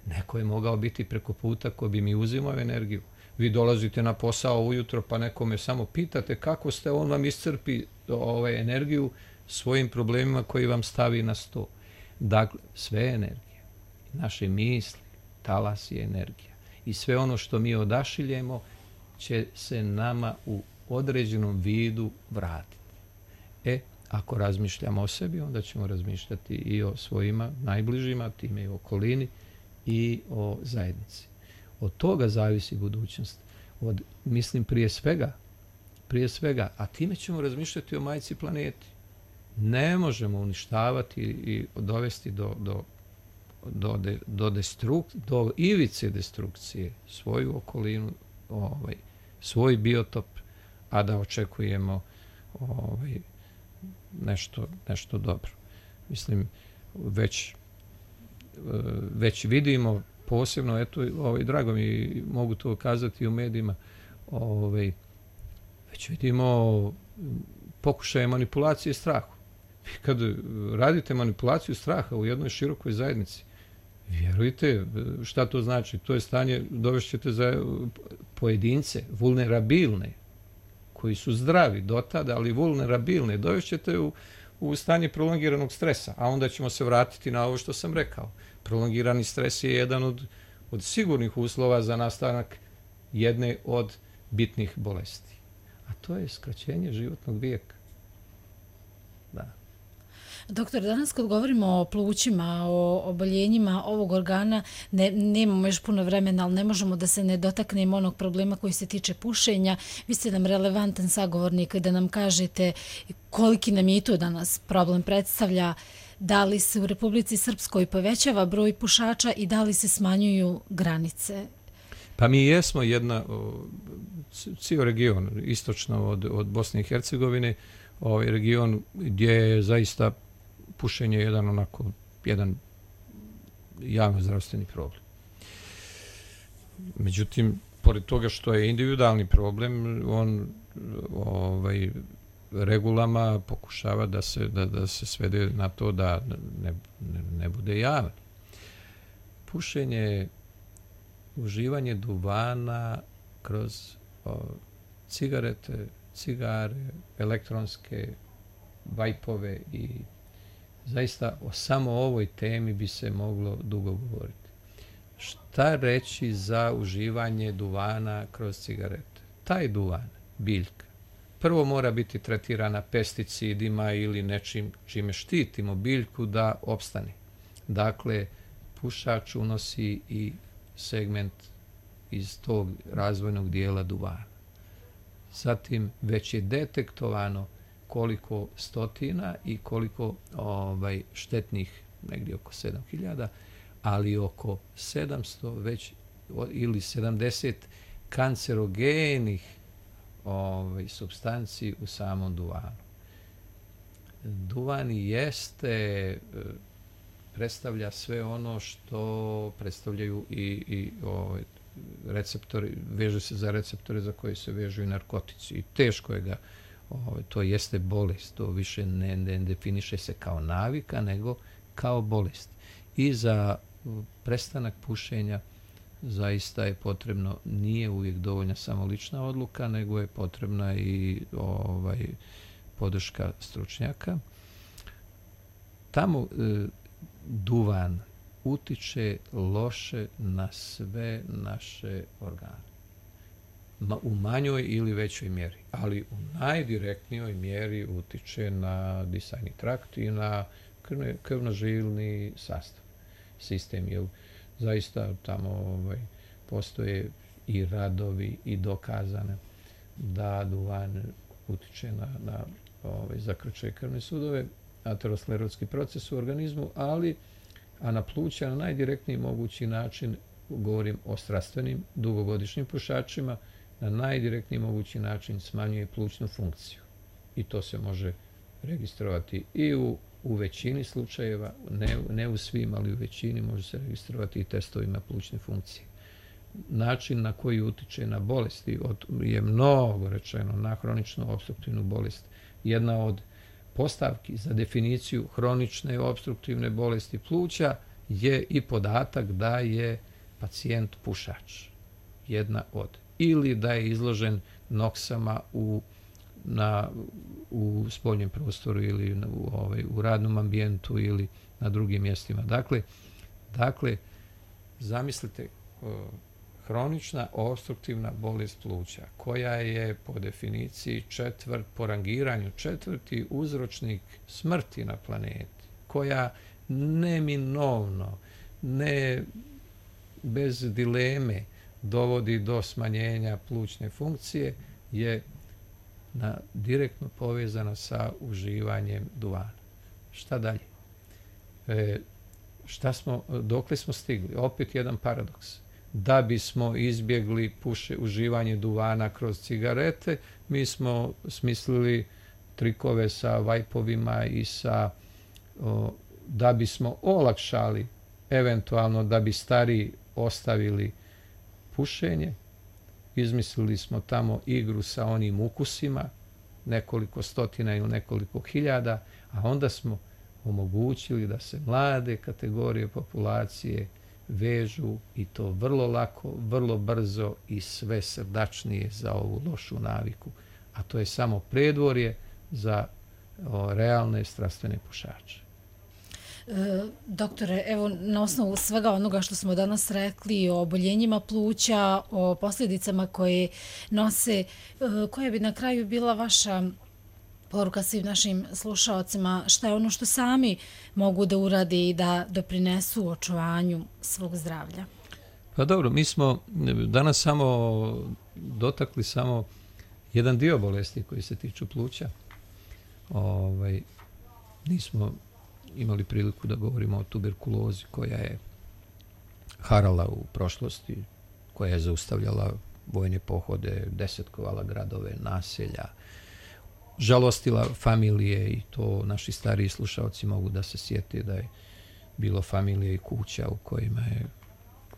S1: Neko je mogao biti preko puta ko bi mi uzimao energiju. Vi dolazite na posao ujutro, pa nekome samo pitate kako ste, on vam iscrpi ovaj, energiju svojim problemima koji vam stavi na sto. Dakle, sve je energija. Naše misli, talas je energija. I sve ono što mi odašiljemo će se nama u određenom vidu vratiti. E, ako razmišljamo o sebi, onda ćemo razmišljati i o svojima najbližima, time i o okolini i o zajednici. Od toga zavisi budućnost. Od, mislim, prije svega, prije svega, a time ćemo razmišljati o majci planeti. Ne možemo uništavati i dovesti do, do, do, de, do, destruk, do ivice destrukcije svoju okolinu, ovaj, svoj biotop, a da očekujemo ovaj, nešto, nešto dobro. Mislim, već, već vidimo posebno, eto, ovaj, drago mi, mogu to kazati u medijima, ovaj, već vidimo pokušaje manipulacije strahu. Kad radite manipulaciju straha u jednoj širokoj zajednici, vjerujte, šta to znači? To je stanje, dovešćete za pojedince, vulnerabilne, koji su zdravi do tada, ali vulnerabilne, dovešćete u, u stanje prolongiranog stresa, a onda ćemo se vratiti na ovo što sam rekao. Prolongirani stres je jedan od, od sigurnih uslova za nastanak jedne od bitnih bolesti. A to je skraćenje životnog vijeka. Da.
S3: Doktor, danas kad govorimo o plućima, o oboljenjima ovog organa, ne, nemamo još puno vremena, ali ne možemo da se ne dotaknemo onog problema koji se tiče pušenja. Vi ste nam relevantan sagovornik da nam kažete koliki nam je i to danas problem predstavlja, da li se u Republici Srpskoj povećava broj pušača i da li se smanjuju granice?
S1: Pa mi jesmo jedna, cijel region, istočno od, od Bosne i Hercegovine, ovaj region gdje je zaista pušenje jedan onako, jedan javno zdravstveni problem. Međutim, pored toga što je individualni problem, on ovaj, regulama pokušava da se, da, da se svede na to da ne, ne, ne bude javan. Pušenje, uživanje duvana kroz o, cigarete, cigare, elektronske vajpove i zaista o samo ovoj temi bi se moglo dugo govoriti. Šta reći za uživanje duvana kroz cigarete? Taj duvan, biljka, prvo mora biti tretirana pesticidima ili nečim čime štitimo biljku da opstane. Dakle, pušač unosi i segment iz tog razvojnog dijela duvana. Zatim već je detektovano koliko stotina i koliko ovaj, štetnih, negdje oko sedam hiljada, ali oko sedamsto već ili sedamdeset kancerogenih ovaj, supstanci u samom duvanu. Duvan jeste, predstavlja sve ono što predstavljaju i, i ovaj, receptori, veže se za receptore za koje se vežu i narkotici. I teško je ga, ovaj, to jeste bolest, to više ne, ne definiše se kao navika, nego kao bolest. I za prestanak pušenja zaista je potrebno, nije uvijek dovoljna samo lična odluka, nego je potrebna i ovaj, podrška stručnjaka. Tamo e, duvan utiče loše na sve naše organe. Ma, u manjoj ili većoj mjeri, ali u najdirektnijoj mjeri utiče na disajni trakt i na krvnožilni sastav, sistem, jer zaista tamo ovaj, postoje i radovi i dokazane da duvan utiče na, na ovaj, zakrčaj krvne sudove, aterosklerotski proces u organizmu, ali a na pluća na najdirektniji mogući način, govorim o strastvenim, dugogodišnjim pušačima, na najdirektniji mogući način smanjuje plućnu funkciju. i to se može registrovati i u, u većini slučajeva, ne, ne u svim, ali u većini može se registrovati i testovima plućne funkcije. Način na koji utiče na bolesti od, je mnogo rečeno na hroničnu opstruktivnu bolest. Jedna od postavki za definiciju hronične opstruktivne bolesti pluća je i podatak da je pacijent pušač. Jedna od. Ili da je izložen noksama u, na, u spoljnom prostoru ili u, ovaj, u radnom ambijentu ili na drugim mjestima. Dakle, dakle zamislite hronična opstruktivna bolest pluća, koja je po definiciji četvrt, po rangiranju četvrti uzročnik smrti na planeti, koja neminovno, ne bez dileme dovodi do smanjenja plućne funkcije, je na, direktno povezana sa uživanjem duvana. Šta dalje? E, šta smo, dokle smo stigli? Opet jedan paradoks. Da bismo izbjegli puše, uživanje duvana kroz cigarete, mi smo smislili trikove sa vajpovima i sa, o, da bismo olakšali, eventualno da bi stariji ostavili pušenje, izmislili smo tamo igru sa onim ukusima, nekoliko stotina ili nekoliko hiljada, a onda smo omogućili da se mlade kategorije populacije vežu i to vrlo lako, vrlo brzo i sve srdačnije za ovu lošu naviku. A to je samo predvorje za o, realne strastvene pušače.
S3: E, doktore, evo na osnovu svega onoga što smo danas rekli o oboljenjima pluća, o posljedicama koje nose, e, koja bi na kraju bila vaša poruka svim našim slušaocima, šta je ono što sami mogu da urade i da doprinesu očuvanju svog zdravlja?
S1: Pa dobro, mi smo danas samo dotakli samo jedan dio bolesti koji se tiču pluća. Ovaj, nismo imali priliku da govorimo o tuberkulozi koja je harala u prošlosti, koja je zaustavljala vojne pohode, desetkovala gradove, naselja, žalostila familije i to naši stariji slušalci mogu da se sjete da je bilo familije i kuća u kojima je,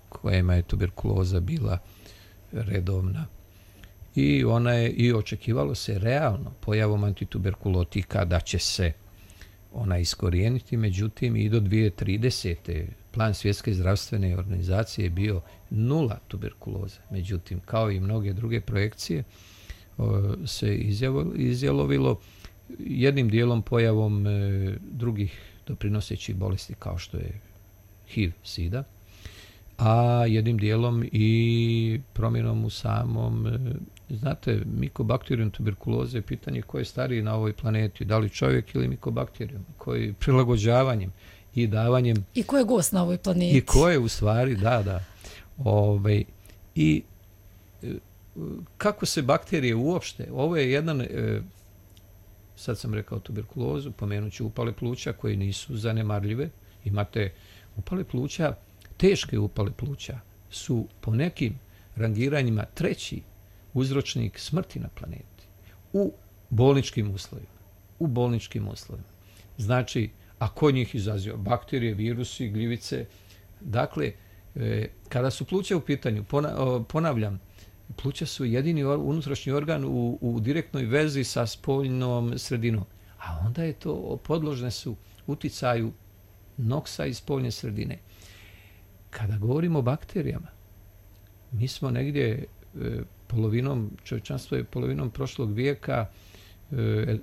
S1: kojima je tuberkuloza bila redovna. I ona je, i očekivalo se realno pojavom antituberkulotika da će se ona iskorijeniti, međutim i do dvije tisuće tridesete. plan Svjetske zdravstvene organizacije je bio nula tuberkuloza. Međutim, kao i mnoge druge projekcije, se izjalovilo jednim dijelom pojavom e, drugih doprinosećih bolesti kao što je H I V, SIDA, a jednim dijelom i promjenom u samom, e, znate, mikobakterijum tuberkuloze je pitanje ko je stariji na ovoj planeti, da li čovjek ili mikobakterijum, koji prilagođavanjem i davanjem...
S3: I ko je gost na ovoj planeti?
S1: I ko je u stvari, da, da. Ove, I kako se bakterije uopšte, ovo je jedan, e, sad sam rekao tuberkulozu, pomenut ću upale pluća koje nisu zanemarljive. Imate upale pluća, teške upale pluća su po nekim rangiranjima treći uzročnik smrti na planeti u bolničkim uslovima. U bolničkim uslovima. Znači, a ko njih izaziva? Bakterije, virusi, gljivice. Dakle, e, kada su pluća u pitanju, ponavljam, pluća su jedini unutrašnji organ u, u direktnoj vezi sa spoljnom sredinom. A onda je to, podložne su uticaju noksa iz spoljne sredine. Kada govorimo o bakterijama, mi smo negdje e, polovinom, čovječanstvo je polovinom prošlog vijeka e,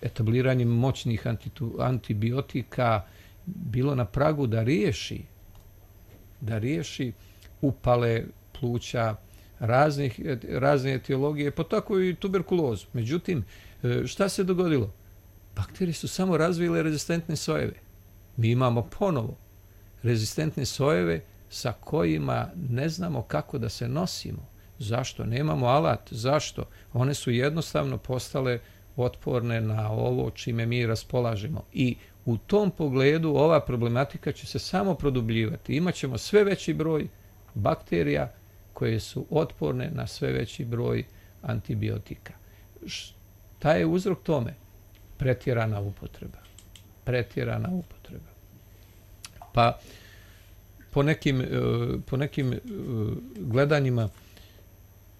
S1: etabliranjem moćnih antitu, antibiotika bilo na pragu da riješi, da riješi upale pluća, raznih, razne etiologije, pa tako i tuberkulozu. Međutim, šta se dogodilo? Bakterije su samo razvile rezistentne sojeve. Mi imamo ponovo rezistentne sojeve sa kojima ne znamo kako da se nosimo. Zašto? Nemamo alat. Zašto? One su jednostavno postale otporne na ovo čime mi raspolažemo. I u tom pogledu ova problematika će se samo produbljivati. Imaćemo sve veći broj bakterija koje su otporne na sve veći broj antibiotika. Šta je uzrok tome? Pretjerana upotreba. Pretjerana upotreba. Pa po nekim, e, po nekim e, gledanjima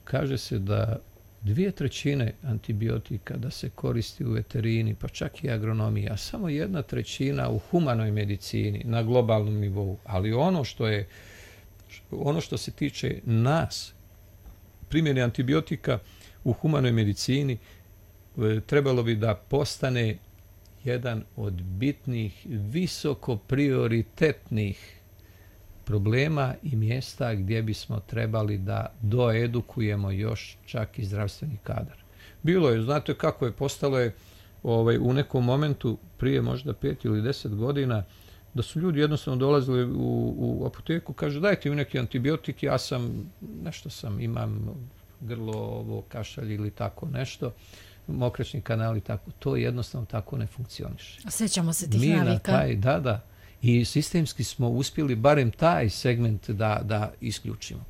S1: kaže se da dvije trećine antibiotika da se koristi u veterini, pa čak i agronomiji, a samo jedna trećina u humanoj medicini na globalnom nivou. Ali ono što je, ono što se tiče nas, primjene antibiotika u humanoj medicini, trebalo bi da postane jedan od bitnih, visoko prioritetnih problema i mjesta gdje bismo trebali da doedukujemo još čak i zdravstveni kadar. Bilo je, znate kako je, postalo je ovaj, u nekom momentu, prije možda pet ili deset godina, da su ljudi jednostavno dolazili u, u apoteku, kažu dajte mi neki antibiotik, ja sam, nešto sam, imam grlo, ovo, kašalj ili tako nešto, mokraćni kanal i tako. To jednostavno tako ne funkcioniše.
S3: Sjećamo se tih
S1: Mi na
S3: navika.
S1: taj, da, da. I sistemski smo uspjeli barem taj segment da, da isključimo.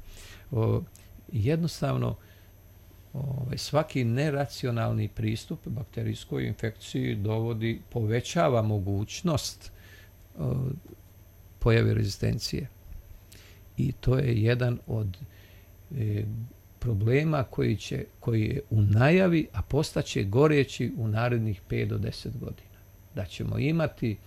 S1: O, jednostavno, ovaj, svaki neracionalni pristup bakterijskoj infekciji dovodi, povećava mogućnost o, pojave rezistencije. I to je jedan od e, problema koji, će, koji je u najavi, a postaće goreći u narednih pet do deset godina. Da ćemo imati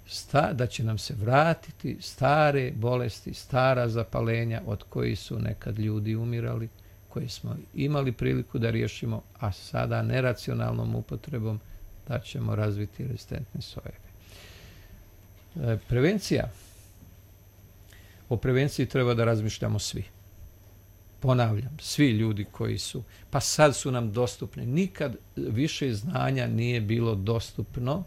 S1: Sta, da će nam se vratiti stare bolesti, stara zapalenja od kojih su nekad ljudi umirali, koje smo imali priliku da riješimo, a sada neracionalnom upotrebom da ćemo razviti rezistentne sojeve. E, prevencija. O prevenciji treba da razmišljamo svi. Ponavljam, svi ljudi koji su, pa sad su nam dostupni. Nikad više znanja nije bilo dostupno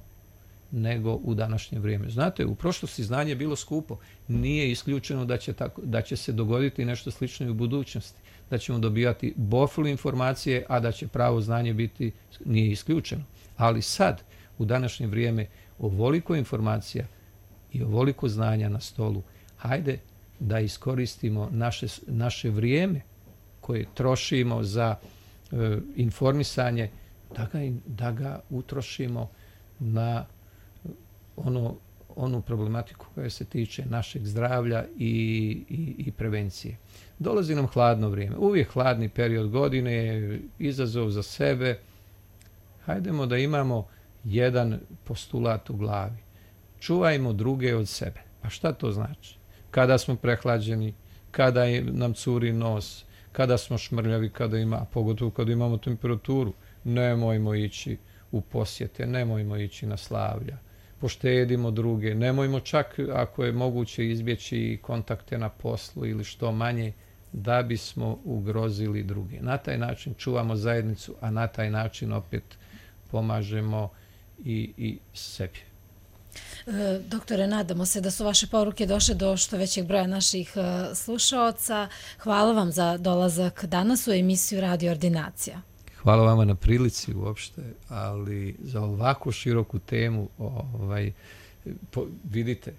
S1: nego u današnje vrijeme. Znate, u prošlosti znanje je bilo skupo. Nije isključeno da će, tako, da će se dogoditi nešto slično i u budućnosti. Da ćemo dobivati bofl informacije, a da će pravo znanje biti, nije isključeno. Ali sad, u današnje vrijeme, ovoliko informacija i ovoliko znanja na stolu, hajde da iskoristimo naše, naše vrijeme koje trošimo za e, informisanje, da ga, da ga utrošimo na ono, onu problematiku koja se tiče našeg zdravlja i, i, i prevencije. Dolazi nam hladno vrijeme. Uvijek hladni period godine, izazov za sebe. Hajdemo da imamo jedan postulat u glavi. Čuvajmo druge od sebe. A šta to znači? Kada smo prehlađeni, kada nam curi nos, kada smo šmrljavi, kada ima, pogotovo kada imamo temperaturu, nemojmo ići u posjete, nemojmo ići na slavlja. Poštedimo druge, nemojmo čak, ako je moguće, izbjeći kontakte na poslu ili što manje, da bismo ugrozili druge. Na taj način čuvamo zajednicu, a na taj način opet pomažemo i, i sebi.
S3: E, doktore, nadamo se da su vaše poruke došle do što većeg broja naših e, slušaoca. Hvala vam za dolazak danas u emisiju Radio Ordinacija.
S1: Hvala vama na prilici uopšte, ali za ovako široku temu ovaj, po, vidite,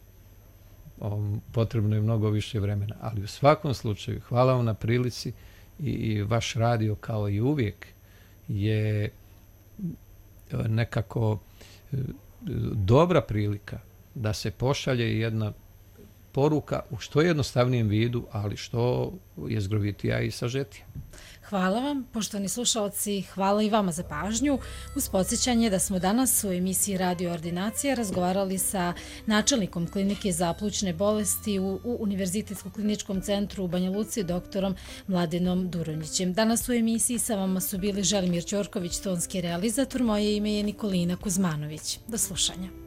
S1: um, potrebno je mnogo više vremena. Ali u svakom slučaju, hvala vam na prilici i, i vaš radio kao i uvijek je nekako dobra prilika da se pošalje jedna poruka u što jednostavnijem vidu, ali što je zgrovitija i sažetija.
S3: Hvala vam, poštovani slušalci, hvala i vama za pažnju. Uz podsjećanje da smo danas u emisiji Radio Ordinacija razgovarali sa načelnikom klinike za plućne bolesti u, u Univerzitetskom kliničkom centru u Banja Luci, doktorom Mladenom Duronjićem. Danas u emisiji sa vama su bili Želimir Ćorković, tonski realizator, moje ime je Nikolina Kuzmanović. Do slušanja.